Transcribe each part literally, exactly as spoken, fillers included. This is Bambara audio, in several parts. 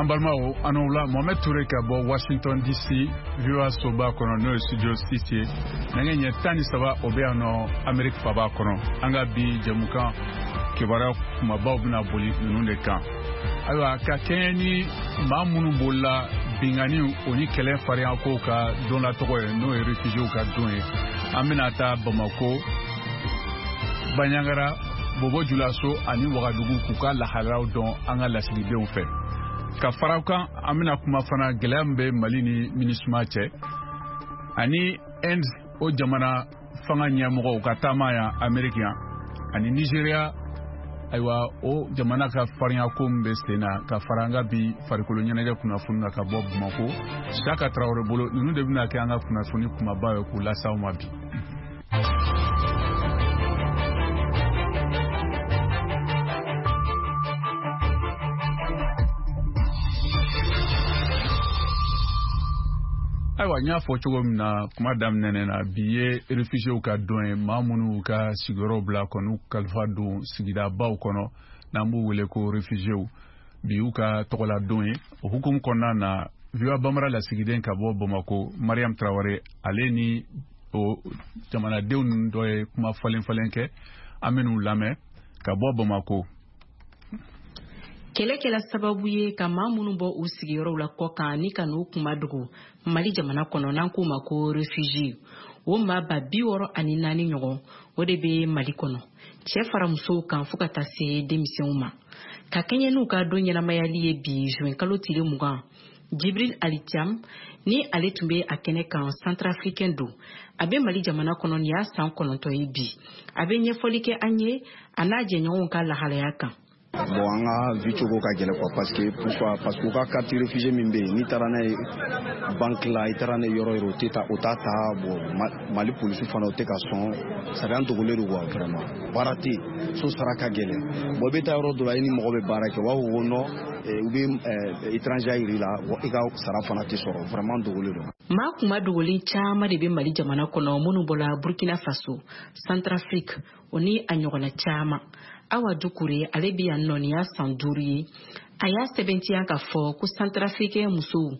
An balimaw, an la Mohamed Touré ka bɔ Washington D C, V O A soba kɔnɔ, n'o ye studio six ye. Nɛgɛ ɲɛ tan ni saba o bɛ yan nɔ Amérique faba kɔnɔ. An ka bi jɛmukan kibaruya kumabaw bɛna boli ninnu de kan. Ayiwa, ka kɛɲɛ ni maa minnu bolila binkanni o ni kɛlɛ fariyakow ka don la tɔgɔ ye, n'o ye réfugiés ka don ye, an bɛna taa Bamako, Baɲangara, Bobo Julaso ani Wagadugu k'u ka lahalayaw dɔn an ka lasigidenw fɛ. Ka fara kan, an bɛna kuma fana gɛlɛya min bɛ Mali ni MINUSMA cɛ ani Inde, o jamana fanga ɲɛmɔgɔw ka taama yan Ameriki yan, ani Nigéria, ayiwa, o jamana ka farinyako min bɛ sen na. Ka fara an ka bi farikolo ɲɛnajɛ kunnafoni na ka bɔ Bamako, Saka Tarawele bolo. Ninnu de bɛna kɛ an ka kunnafoni kumaba ye k'u lase aw ma bi. Ayiwa, n y'a fɔ cogo min na kuma daminɛ na, bi ye réfugiés ka don ye, maa minnu ka sigiyɔrɔ bila kɔni kalifa don sigidabaw kɔnɔ, n'an b'u wele ko réfugiés, bi y'u ka tɔgɔla don ye. O hukumu kɔnɔna na, V O A Bambara lasigiden ka bɔ Bamako, Mariam Tarawele, ale ni o jamanadenw ninnu dɔ ye kuma falen falen kɛ. An bɛn'u lamɛn ka bɔ Bamako. Kɛlɛ kɛla sababu ye ka maa minnu bɔ u sigiyɔrɔw la kɔkan ni ka n'u kuma dogo Mali jamana kɔnɔ, n'an k'o ma ko réfugié, o maa ba bi wɔɔrɔ ani naani ɲɔgɔn, o de bɛ Mali kɔnɔ, cɛɛ fara musow kan fɔɔ ka taa se denmisɛnw ma. Ka kɛɲɛ n'u ka don ɲɛnamayali ye bi juin kalo tile mugan, Jibril Alitiam ni ale tun bɛ a kɛnɛ kan, centrafricain don, a bɛ Mali jamana kɔnɔ nin y'a san kɔnɔntɔn ye bi. A bɛ ɲɛfɔli kɛ an ye a n'a jɛɲɔgɔnw ka lahalaya kan. Bon, an ka vie cogo ka gɛlɛn quoi. Parce que pourquoi? Parce que u ka carte réfugié min bɛ yen, n'i taara n'a ye banque la, i taara n'a ye yɔrɔ yɔrɔ, o tɛ ta, o t'a ta. Bon, Mali polisi fana, o tɛ ka sɔn. C'est à dire an dogolen don quoi. Vraiment, baara tɛ yen, so sara ka gɛlɛn. Bon, i bɛ taa yɔrɔ dɔ la, i ni mɔgɔ bɛ baara kɛ, u b'a fɔ ko non, u bɛ étranger yir'i la, i ka sara fana tɛ sɔrɔ. Vraiment, dogolen don. Maa kuma dogolen caman de bɛ Mali jamana kɔnɔ minnu bɔla Burkina Faso, Centrafrique, o ni a ɲɔgɔnna caman. Awa Dukure, ale bɛ yan nɔ nin y'a san duuru ye. A y'a sɛbɛntiya k'a fɔ ko centrafricain musow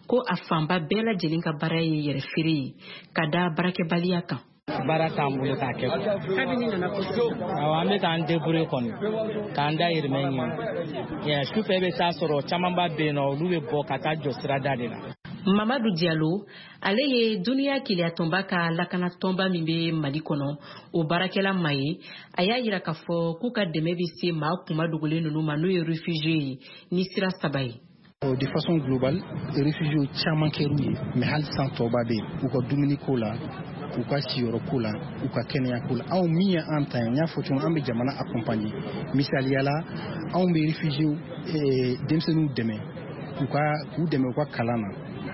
ko a fanba bɛɛ lajɛlen ka baara ye yɛrɛ feere ye ka da baarakɛbaliya kan. Baara t'an bolo k'a kɛ. Kabini nana ko? Awɔ, an bɛ k'an débrouiller kɔni, k'an dahirimɛ ɲini. Sufɛ, i bɛ taa sɔrɔ camanba bɛ yen nɔ, olu bɛ bɔ ka taa jɔ sirada de la. Mamadu Diallo, ale ye Duniya Keleyatɔnba ka lakanatɔnba min bɛ Mali kɔnɔ, o baarakɛla ma ye. A y'a yira k'a fɔ k'u ka dɛmɛ bɛ se maa kuma dogolen ninnu ma, n'o ye réfugié ye, ni sira saba ye. De façon globale, réfugiés caman kɛr'u ye, mais hali san tɔba bɛ yen, u ka dumuniko la, u ka siyɔrɔko la, u ka kɛnɛyako la. Anw min ye an ta ye, n y'a fɔ cogo min, an bɛ jamana accompagner. Misaliya la, anw bɛ réfugiés denmisɛnninw dɛmɛ, u ka k'u dɛmɛ u ka kalan na.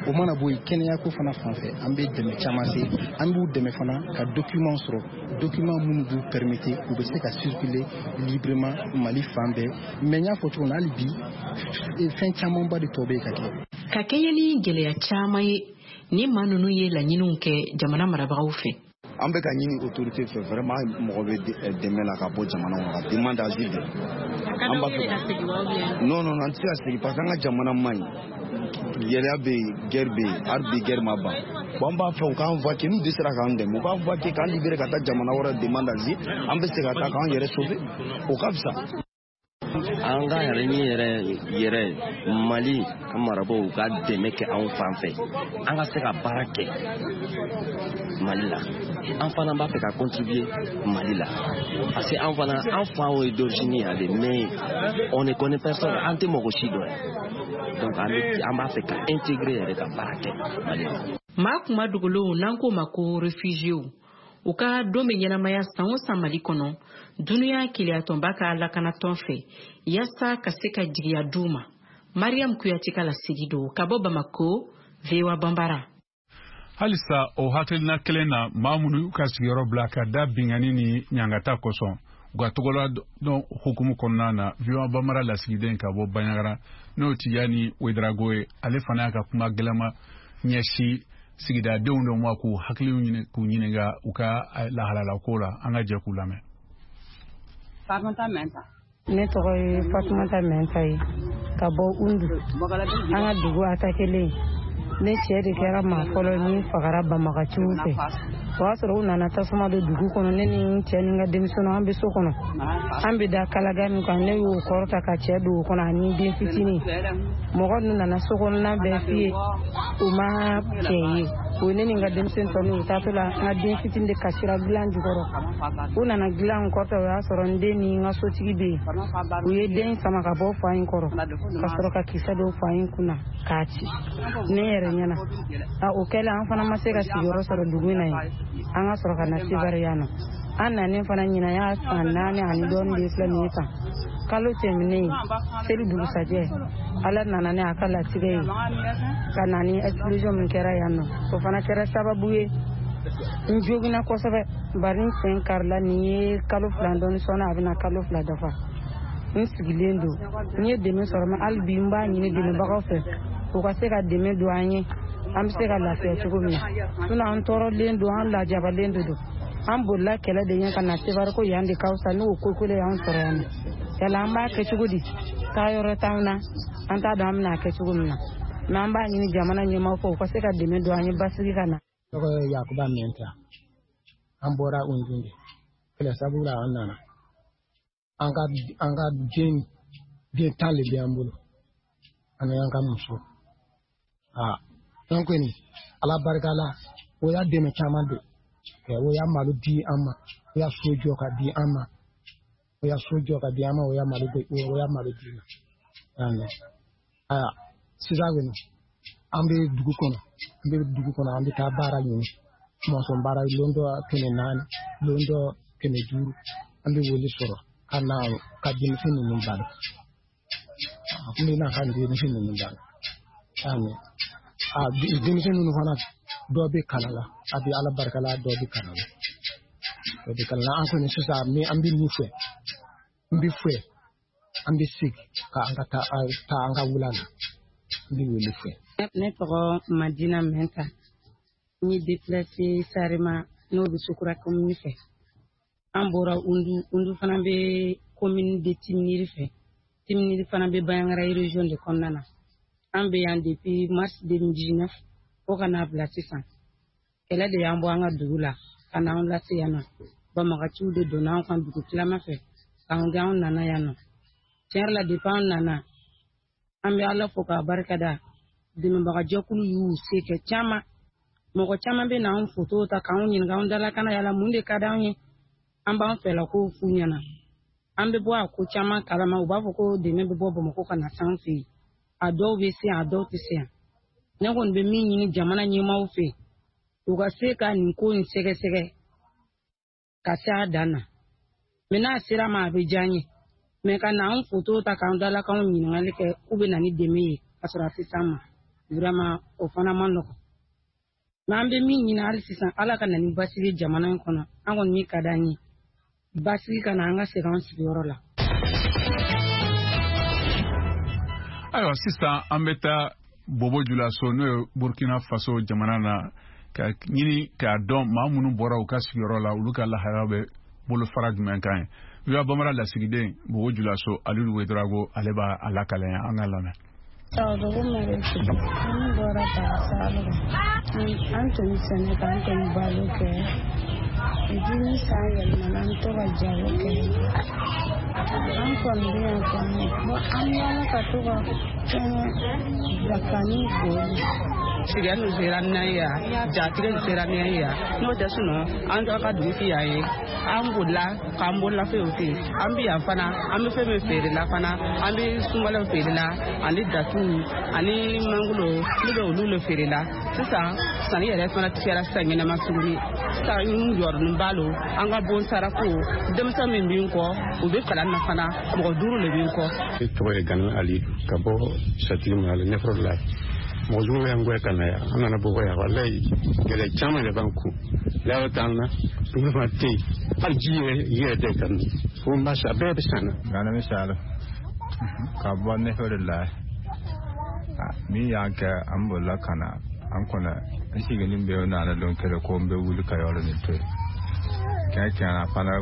O mana bɔ yen, kɛnɛyako fana fan fɛ, an bɛ dɛmɛ caman se. An b'u dɛmɛ fana ka document sɔrɔ, document minnu b'u permettre u bɛ se ka circuler librement Mali fan bɛɛ. Mais n y'a fɔ cogo min na, hali bi fɛn camanba de tɔ bɛ yen ka kɛ. Ka kɛɲɛ ni gɛlɛya caman ye ni maa ninnu ye laɲiniw kɛ jamana marabagaw fɛ. An bɛ ka ɲini autorité fɛ vraiment, mɔgɔ bɛ dɛmɛ la ka bɔ jamana kɔnɔ, ka demande d'asile de. An b'a fɛ, non non, an tɛ se ka segin parce que an ka jamana man ɲi, gɛlɛya bɛ yen, guerre bɛ yen, hali bi guerre ma ban. Bon, an b'a fɛ u k'an évacuer. N'u dɛsɛra k'an dɛmɛ, u k'an évacuer, k'an libérer ka taa jamana wɛrɛ, demande d'asile, an bɛ se ka taa k'an yɛrɛ sauver, o ka fisa. An ka yɛrɛ ni yɛrɛ yɛrɛ, Mali an marabagaw ka dɛmɛ kɛ anw fan fɛ, an ka se ka baara kɛ Mali la. An fana b'a fɛ ka contribuer Mali la parce que an fana, an faw ye d'origine yan de, mais on ne connaît personne, an tɛ mɔgɔ si dɔn yan. Donc an bɛ an b'a fɛ ka intégrer yɛrɛ, ka baara kɛ Mali la. Maa kuma dogolenw, n'an k'o ma ko réfugiés, u ka don bɛ ɲɛnamaya san o san Mali kɔnɔ, Duniya Keleyatɔnba ka lakanatɔn fɛ, yaasa ka se ka jigiya d'u ma. Mariam Kuyate ka laseli don ka bɔ Bamako, V O A Banbara. Halisa o hakilina kelen na, maa minnu y'u ka sigiyɔrɔ bila ka da bingani ni ɲangata kosɔn, u ka tɔgɔla dɔn hukumu kɔnɔna na, V O A Bamara lasigiden ka bɔ Baɲagara, n'o Tijani Wedarago ye, ale fana y'a ka kuma gɛlɛma ɲɛsin sigidadenw dɔ ma k'u hakiliw ɲini, k'u ɲininka u ka lahalala ko la. An ka jɛ k'u lamɛn. Fatumata Mɛnta. Ne tɔgɔ ye Fatumata Mɛnta ye. Ka bɔ Undu, an ka dugu atakelen. Ne cɛ de kɛra maa fɔlɔ min fagara banbagaciw fɛ. O y'a sɔrɔ u nana tasuma don dugu kɔnɔ. Ne ni n cɛ ni n ka denmisɛnninw, an bɛ so kɔnɔ, an bɛ da kalaga min kan, ne y'o kɔrɔta ka cɛ don o kɔnɔ ani den fitinin. Mɔgɔ ninnu nana so kɔnɔna bɛɛ fiyɛ, u ma cɛ ye. O ne ni n ka denmisɛnnin tɔ ninnu, u taatɔ la, n ka den fitinin de kasira dilan jukɔrɔ. U nana dilan kɔrɔta, o y'a sɔrɔ n den ni n ka sotigi bɛ yen. U ye den sama ka bɔ fa in kɔrɔ ka sɔrɔ ka kisɛ don fa in kunna k'a ci ne yɛrɛ ɲɛna. O kɛlen, an fana ma se ka sigiyɔrɔ sɔrɔ dugu in na yen. An ka sɔrɔ ka na Sevare yan nɔ. An nanen fana, ɲinan y'a san naani ani dɔɔnin de filɛ nin ye tan. Kalo tɛmɛnen, seli dugusajɛ, Ala nana ni a ka latigɛ ye ka na ni explosion min kɛra yan nɔ. O fana kɛra sababu ye n joginna kosɛbɛ, bari n sen karila. Nin ye kalo fila dɔɔni sɔnni, a bɛna kalo fila dafa n sigilen don. N ye dɛmɛ sɔrɔ, ma hali bi n b'a ɲini dɛmɛbagaw fɛ, u ka se ka dɛmɛ don an ye, an bɛ se ka lafiya cogo min na. Sinon an tɔɔrɔlen don, an lajabalen de don. An bolila kɛlɛ de ɲɛ ka na Sevare, ko yan de ka fisa. N'o ko kelen y'an sɔrɔ yan nɔ, yala an b'a kɛ cogo di? Taa yɔrɔ t'anw na, an t'a dɔn an bɛna kɛ cogo min na. Mɛ an b'a ɲini jamana ɲɛmaaw fɛ, u ka se ka dɛmɛ don an ye, basigi ka na. Tɔgɔ ye Yakuba Mɛnta. An bɔra Undu de kɛlɛ sababu la, an nana. An ka an ka den den tan de bɛ an bolo, ani an ka muso. Aa, an kɔni, Ala barika la, o y'a dɛmɛ caman don. O y'a malo di an ma, o y'a so jɔ ka di an ma, o y'a so jɔ ka di an ma, o y'a malo o y'a malo di ma. Aya, sisan kɔni, an bɛ dugu kɔnɔ, an bɛ dugu kɔnɔ, an bɛ taa baara ɲini, mɔsɔn baara, lon dɔ kɛmɛ naani, lon dɔ kɛmɛ duuru, an bɛ wele sɔrɔ ka na ka denmisɛn ninnu balo. An bɛ na ka denmisɛn ninnu balo. A denmisɛn ninnu fana, dɔ bɛ kalan la, a bɛ Ala barika la, dɔ bɛ kalan la, dɔ bɛ kalan la. An kɔni sisan, an bɛ min fɛ, n bɛ fɛ an bɛ segin ka an ka taa taa an ka wula la, n bɛ wele fɛ. Ne tɔgɔ Madina Mɛnta. N ye déplacé Sarema, n'o bɛ Sokura commune fɛ. An bɔra Undu. Undu fana bɛ commune de Timiniri fɛ. Timiniri fana bɛ Bandiagara région de kɔnɔna na. An bɛ yan depuis mars deux mille dix-neuf fo ka n'a bila sisan. Kɛlɛ de y'an bɔ an ka dugu la ka n'an lase yan nɔ. Banbagaciw de donna an kan dugu tilama fɛ k'an gɛn, an nana yan nɔ. Tiɲɛ yɛrɛ la, depuis an nana, an bɛ Ala fo k'a barikada. Dɛmɛbagajɛkulu y'u se kɛ caman. Mɔgɔ caman bɛ na an foto ta k'anw ɲininka anw dalakana, yala mun de ka d'anw ye. An b'an fɛlako f'u ɲɛna. An bɛ bɔ a ko caman kalama. U b'a fɔ ko dɛmɛ bɛ bɔ Bamakɔ ka na s'an fɛ yen. A dɔw bɛ se yan, a dɔw tɛ se yan. Ne kɔni bɛ min ɲini jamana ɲɛmaaw fɛ, u ka se ka nin ko in sɛgɛsɛgɛ ka se a dan na. Mɛ n'a sera ma, a bɛ diya n ye. Mɛ ka na an foto ta k'an dalakanw ɲininkali kɛ k'u bɛ na ni dɛmɛ ye ka sɔrɔ a tɛ s'an ma, vraiment o fana man nɔgɔn. Mɛ an bɛ min ɲini hali sisan, Ala ka na ni basigi jamana in kɔnɔ. An kɔni min ka d'an ye, basigi ka na, an ka segin an sigiyɔrɔ la. Ayiwa, sisan an bɛ taa Bobo Julaso, n'o ye Burkina Faso jamana na, ka ɲini k'a dɔn maa minnu bɔra u ka sigiyɔrɔ la, olu ka lahalaya bɛ bolofara jumɛn kan ye. V O A Bambara lasigiden Bobo Julaso, Alidu Wedrago, ale b'a a lakale an ka lamɛn. Sawadogo Marietou, an bɔra Bagasalo. An tun bɛ sɛnɛ kɛ, an tun bɛ balo kɛ. Depuis ni san yɛlɛmana, an to ka jago kɛ. An kɔni bɛ yan kɔni, an yaala ka to ka fɛngɛ bila fani boli. Siriya nu sera nan ye yan, jatigɛ nu sera nan ye yan. N'o tɛ, sinɔn an ka dugu ti yan ye. An bolila k'an bolola fɛnw fɛ yen. An bɛ yan fana, an bɛ fɛn min feere la fana, an bɛ sunbalaw feere la, ani datuw ani mangoro, ne bɛ olu le feere la. Sisan sanni yɛrɛ fana kɛra sisan ɲɛnama tuguni. Sisan n jɔrɔnin ba lo an ka bon sarako. Denmisɛn min bɛ n kɔ, u bɛ kalan na fana, mɔgɔ duuru le bɛ n kɔ. Ne tɔgɔ ye Gani Ali, ka bɔ Satigi Mara la, Ɲɛfɔrɔ la. Mɔgɔ jugu y'an gɛn ka na yan, an nana bɔ yan. Walayi, gɛlɛya caman de b'an kun. Layɔrɔ t'an na, dumuni fana tɛ yen, hali ji yɛrɛ yɛrɛ tɛ ka min fo n b'a san, a bɛɛ bɛ san na. Ganami Salo, ka bɔ Nefere la. Min y'an kɛ, an bolila ka na an kɔnɔ. N sigilen bɛ nana don kelen ko n bɛ wuli ka yɔrɔ nin to yen. Kɛɲɛ kɛɲɛ fana.